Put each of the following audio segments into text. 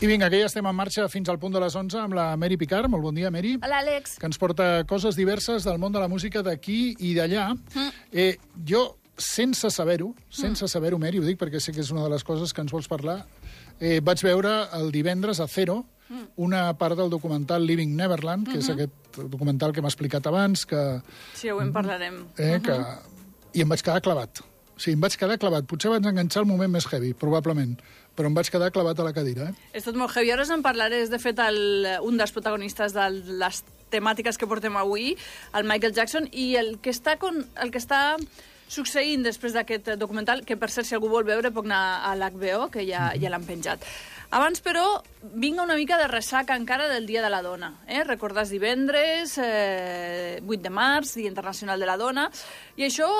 I vinga, que ja estem en marxa fins al punt de les 11 amb la Mary Picard. Molt bon dia, Mary. Hola, Àlex. Que ens porta coses diverses del món de la música d'aquí i d'allà. Jo, sense saber-ho, Mary, ho dic perquè sé que és una de les coses que ens vols parlar, vaig veure el divendres a Zero una part del documental Living Neverland, que és aquest documental que m'ha explicat abans, que... Sí, ho en parlarem. I em vaig quedar clavat. O sigui, em vaig quedar clavat. Potser vaig enganxar el moment més heavy, probablement, però em vaig quedar clavat a la cadira. És tot molt heavy. Ara us en parlaré. És, de fet, un dels protagonistes de les temàtiques que portem avui, el Michael Jackson, i el que està succeint després d'aquest documental, que per cert, si algú vol veure, pot anar a l'HBO, que ja l'han penjat. Abans, però, vinga una mica de ressaca encara del Dia de la Dona. Recordàs divendres, 8 de març, Dia Internacional de la Dona, i això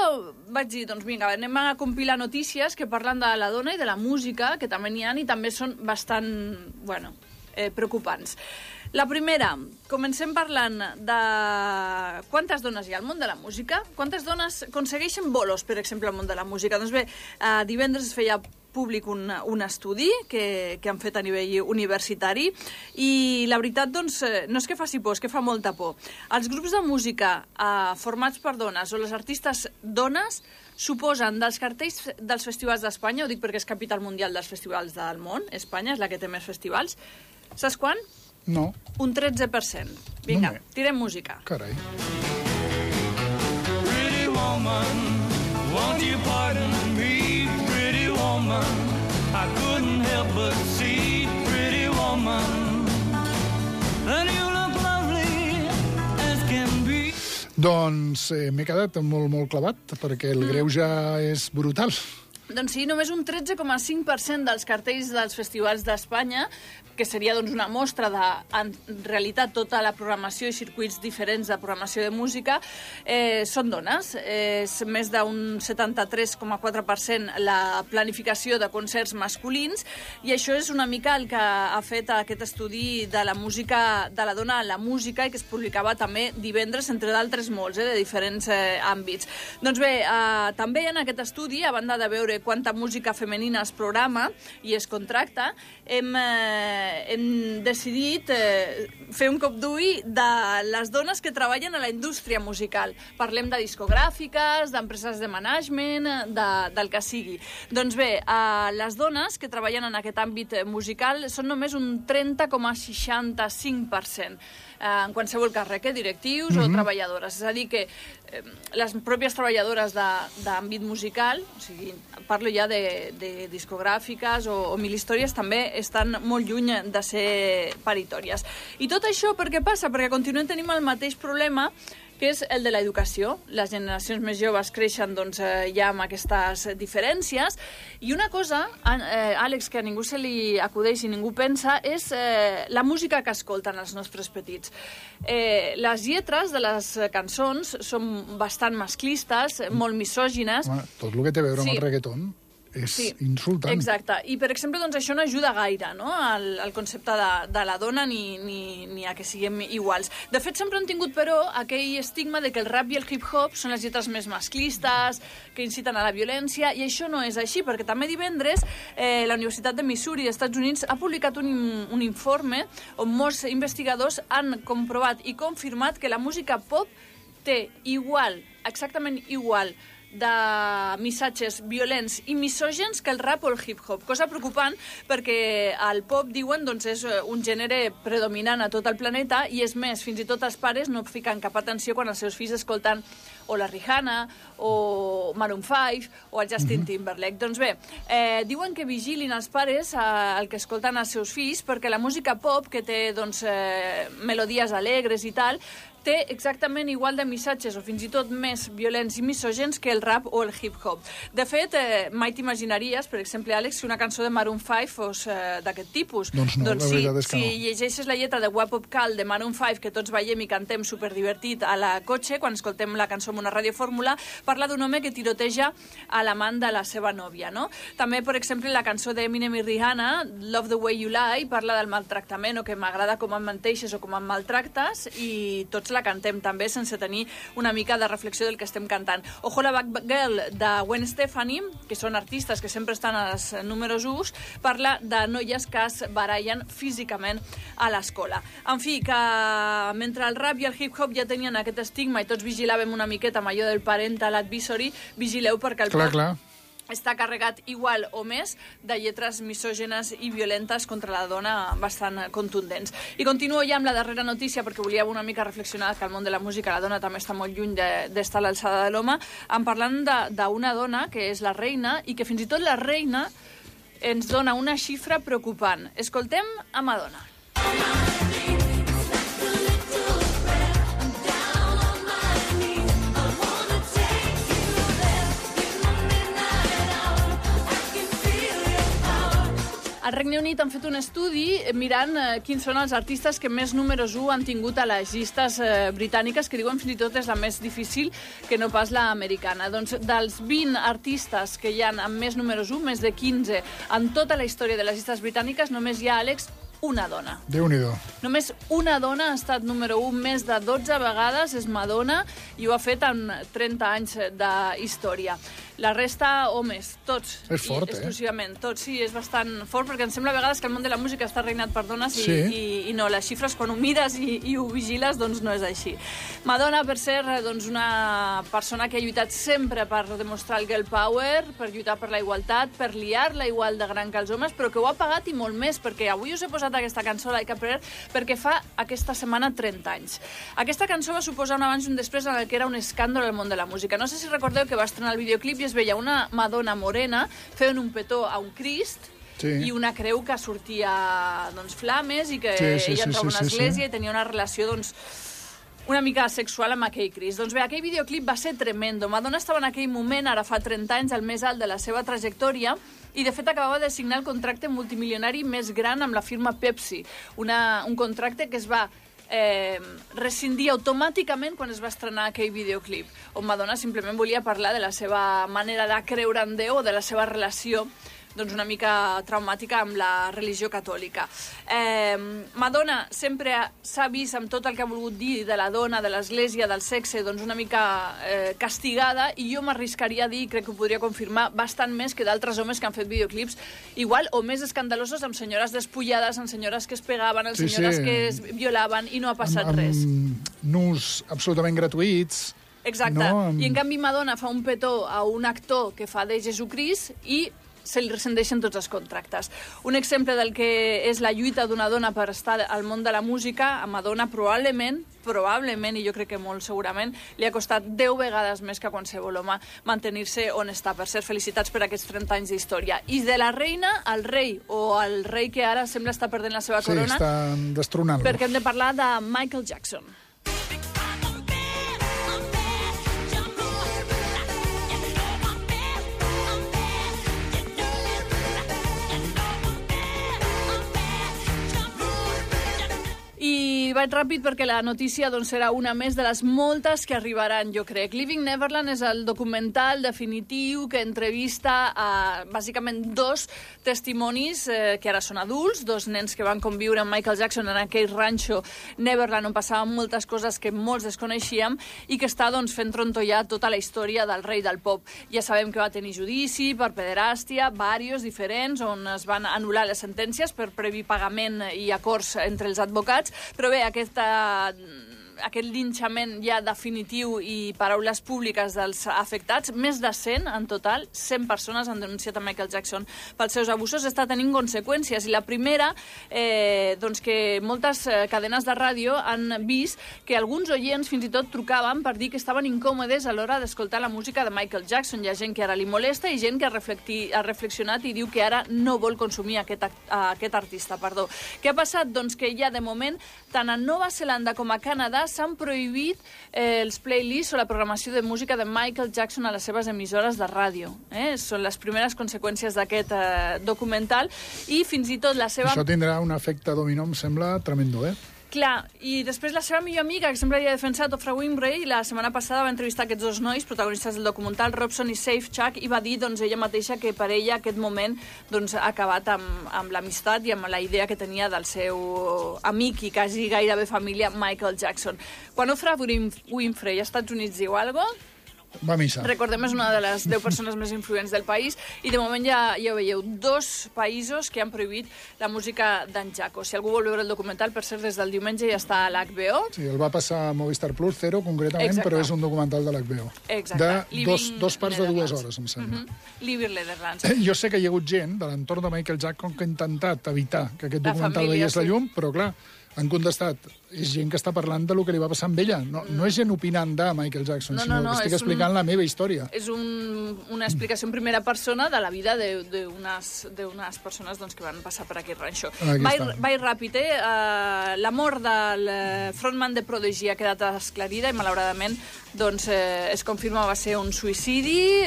vaig dir, doncs vinga, anem a compilar notícies que parlen de la dona i de la música, que també n'hi ha i també són bastant, preocupants. La primera, comencem parlant de quantes dones hi ha al món de la música, quantes dones aconsegueixen bolos, per exemple, al món de la música. Doncs bé, divendres es feia públic un estudi que han fet a nivell universitari i la veritat, doncs, no és que faci por, és que fa molta por. Els grups de música formats per dones o les artistes dones suposen dels cartells dels festivals d'Espanya, ho dic perquè és capital mundial dels festivals del món, Espanya és la que té més festivals, saps quan? No. Un 13%. Vinga, tirem música. Carai. Pretty woman, won't you pardon me, pretty woman, I couldn't help but see, pretty woman, and you look lovely as can be. Doncs m'he quedat molt clavat, perquè el greuge és brutal. Doncs sí, només un 13,5% dels cartells dels festivals d'Espanya, que seria doncs, una mostra de, en realitat, tota la programació i circuits diferents de programació de música, són dones. És més d'un 73,4% la planificació de concerts masculins, i això és una mica el que ha fet aquest estudi de la música, de la dona a la música, i que es publicava també divendres, entre d'altres molts, de diferents àmbits. Doncs bé, també en aquest estudi, a banda de veure quanta música femenina es programa i es contracta, hem decidit fer un cop d'ull de les dones que treballen a la indústria musical. Parlem de discogràfiques, d'empreses de management, del que sigui. Doncs bé, les dones que treballen en aquest àmbit musical són només un 30,65%. En qualsevol càrrec, directius o treballadores. És a dir, que les pròpies treballadores d'àmbit musical, o sigui, parlo ja de discogràfiques o mil històries, també estan molt lluny de ser paritòries. I tot això per què passa? Perquè continuem tenint el mateix problema, que és el de l'educació. Les generacions més joves creixen ja amb aquestes diferències. I una cosa, Àlex, que a ningú se li acudeix i ningú pensa, és la música que escolten els nostres petits. Les lletres de les cançons són bastant masclistes, molt misògines. Tot el que té a veure amb el reggaeton és insultant. Exacte. I, per exemple, això no ajuda gaire, no?, al concepte de la dona ni a que siguem iguals. De fet, sempre han tingut, però, aquell estigma de que el rap i el hip-hop són les lletres més masclistes, que inciten a la violència, i això no és així, perquè també divendres la Universitat de Missouri, dels Estats Units, ha publicat un informe on molts investigadors han comprovat i confirmat que la música pop té exactament igual de missatges violents i misògens que el rap o el hip-hop. Cosa preocupant, perquè el pop, diuen, és un gènere predominant a tot el planeta, i és més, fins i tot els pares no fiquen cap atenció quan els seus fills escolten o la Rihanna, o Maroon 5, o el Justin Timberlake. Doncs bé, diuen que vigilin els pares el que escolten els seus fills, perquè la música pop, que té melodies alegres i tal, té exactament igual de missatges o fins i tot més violents i misògens que el rap o el hip-hop. De fet, mai t'imaginaries, per exemple, Àlex, que una cançó de Maroon 5 fos d'aquest tipus. Doncs no, la veritat és que no. Si llegeixes la lletra de Wap Up Call de Maroon 5, que tots veiem i cantem superdivertit a la cotxe, quan escoltem la cançó en una radiofórmula, parla d'un home que tiroteja a l'amant de la seva nòvia, no? També, per exemple, la cançó d'Eminem i Rihanna, Love the Way You Lie, parla del maltractament o que m'agrada com em menteixes o com em maltractes, i tots tots la cantem també, sense tenir una mica de reflexió del que estem cantant. Ojo la Back Girl de Gwen Stefani, que són artistes que sempre estan als números 1, parla de noies que es barallen físicament a l'escola. En fi, que mentre el rap i el hip-hop ja tenien aquest estigma i tots vigilàvem una miqueta amb allò del parental advisory, vigileu perquè el pop està carregat igual o més de lletres misògenes i violentes contra la dona bastant contundents. I continuo ja amb la darrera notícia perquè volia una mica reflexionar que al món de la música la dona també està molt lluny d'estar a l'alçada de l'home, en parlant d'una dona que és la reina i que fins i tot la reina ens dona una xifra preocupant. Escoltem a Madonna. Al Regne Unit han fet un estudi mirant quins són els artistes que més números 1 han tingut a les llistes britàniques, que diuen fins i tot és la més difícil que no pas l'americana. Doncs dels 20 artistes que hi ha amb més números 1, més de 15 en tota la història de les llistes britàniques, només hi ha, Àlex, una dona. Déu-n'hi-do. Només una dona ha estat número 1 més de 12 vegades, és Madonna, i ho ha fet en 30 anys d'història. La resta, homes, tots. És fort, exclusivament, tots, sí, és bastant fort, perquè em sembla a vegades que el món de la música està reinat per dones i no, les xifres, quan ho mires i ho vigiles, doncs no és així. Madonna, per ser doncs, una persona que ha lluitat sempre per demostrar el girl power, per lluitar per la igualtat, per liar-la igual de gran que els homes, però que ho ha pagat i molt més, perquè avui us he posat aquesta cançó, Like a Prayer, perquè fa aquesta setmana 30 anys. Aquesta cançó va suposar un abans i un després en el que era un escàndol al món de la música. No sé si recordeu que va estrenar el videoclip i es veia una Madonna morena fent un petó a un Crist i una creu que sortia doncs, flames i que ella entrava a una església i tenia una relació doncs, una mica sexual amb aquell Crist. Doncs bé, aquell videoclip va ser tremendo. Madonna estava en aquell moment, ara fa 30 anys, al més alt de la seva trajectòria, i de fet acabava de signar el contracte multimilionari més gran amb la firma Pepsi. Un contracte que es va rescindir automàticament quan es va estrenar aquell videoclip, on Madonna simplement volia parlar de la seva manera de creure en Déu o de la seva relació doncs una mica traumàtica amb la religió catòlica. Madonna sempre s'ha vist amb tot el que ha volgut dir de la dona, de l'església, del sexe, doncs una mica castigada, i jo m'arriscaria a dir, crec que ho podria confirmar, bastant més que d'altres homes que han fet videoclips igual o més escandalosos, amb senyores despullades, amb senyores que es pegaven, amb senyores que es violaven, i no ha passat res. Nus absolutament gratuïts. Exacte. No? I en canvi Madonna fa un petó a un actor que fa de Jesucrist i se li rescindeixen tots els contractes. Un exemple del que és la lluita d'una dona per estar al món de la música, a Madonna probablement, i jo crec que molt segurament, li ha costat 10 vegades més que a qualsevol home mantenir-se on està. Per ser felicitats per aquests 30 anys d'història. I de la reina al rei, o el rei que ara sembla estar perdent la seva corona, estan destronant-lo. Perquè hem de parlar de Michael Jackson. I vaig ràpid perquè la notícia doncs, serà una més de les moltes que arribaran, jo crec. Living Neverland és el documental definitiu que entrevista bàsicament 2 testimonis que ara són adults, 2 nens que van conviure amb Michael Jackson en aquell ranxo Neverland on passaven moltes coses que molts desconeixíem i que està doncs, fent trontollar tota la història del rei del pop. Ja sabem que va tenir judici per pederàstia, diversos diferents, on es van anul·lar les sentències per previ pagament i acords entre els advocats, però bé, aquest linxament ja definitiu i paraules públiques dels afectats, més de 100 en total, 100 persones han denunciat a Michael Jackson pels seus abusos, està tenint conseqüències. I la primera, doncs que moltes cadenes de ràdio han vist que alguns oients fins i tot trucaven per dir que estaven incòmodes a l'hora d'escoltar la música de Michael Jackson. Hi ha gent que ara li molesta i gent que ha reflexionat i diu que ara no vol consumir aquest artista. Què ha passat? Doncs que ja de moment, tant a Nova Zelanda com a Canadà, s'han prohibit els playlists o la programació de música de Michael Jackson a les seves emissores de ràdio. Són les primeres conseqüències d'aquest documental i fins i tot la seva... Això tindrà un efecte dominó, em sembla, tremendo, Clar, i després la seva millor amiga, que sempre havia defensat, Oprah Winfrey, la setmana passada va entrevistar aquests dos nois, protagonistes del documental, Robson i Safechuck, i va dir doncs, ella mateixa que per ella aquest moment doncs, ha acabat amb l'amistat i amb la idea que tenia del seu amic i quasi gairebé família, Michael Jackson. Quan Oprah Winfrey als Estats Units diu alguna cosa, va a missa. Recordem, és una de les 10 persones més influents del país i de moment ja ho veieu, 2 països que han prohibit la música d'en Jaco. Si algú vol veure el documental, per cert, des del diumenge ja està a l'HBO. Sí, el va passar a Movistar Plus, 0 concretament, Exacte. però és un documental de l'HBO. Exacte. De dos parts de 2 hores, em sembla. Living Netherlands. Jo sé que hi ha hagut gent de l'entorn de Michael Jackson que ha intentat evitar que aquest La documental família, veiés la sí. llum, però clar, han contestat. És gent que està parlant de lo que li va passar amb ella. No és gent opinant de Michael Jackson, sinó que estic explicant la meva història. És una explicació en primera persona de la vida d'unes persones doncs, que van passar per aquest ranxo. Vaig ràpid, la mort del frontman de Prodigy ha quedat esclarida i malauradament doncs, es confirma va ser un suïcidi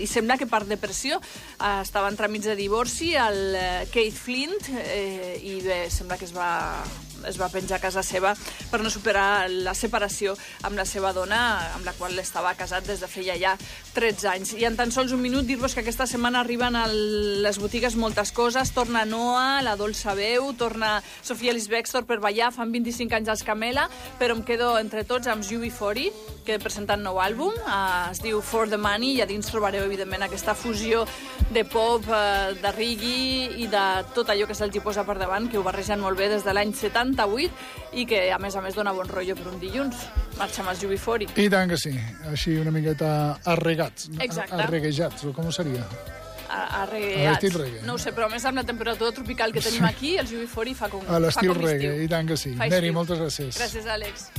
i sembla que per depressió estava en tràmits de divorci el Keith Flint i bé, sembla que es va penjar a casa seva per no superar la separació amb la seva dona, amb la qual estava casat des de feia ja 13 anys. I en tan sols un minut dir-vos que aquesta setmana arriben a les botigues moltes coses. Torna Noah, la Dolça Veu, torna Sofia Ellis-Bextor per ballar, fan 25 anys als Camela, però em quedo entre tots amb UB40, que presenta un nou àlbum, es diu For the Money, i a dins trobareu, evidentment, aquesta fusió de pop, de reggae i de tot allò que se'ls hi posa per davant, que ho barregen molt bé des de l'any 78 i que, a més, dona bon rotllo per un dilluns. Marxa amb els UB40. I tant que sí. Així una miqueta arregats. Exacte. Arreguejats, o com seria? Arreguejats. No ho sé, però a més amb la temperatura tropical que tenim aquí, els UB40 fa com a l'estil reggae, i tant que sí. Neri, moltes gràcies. Gràcies, Àlex.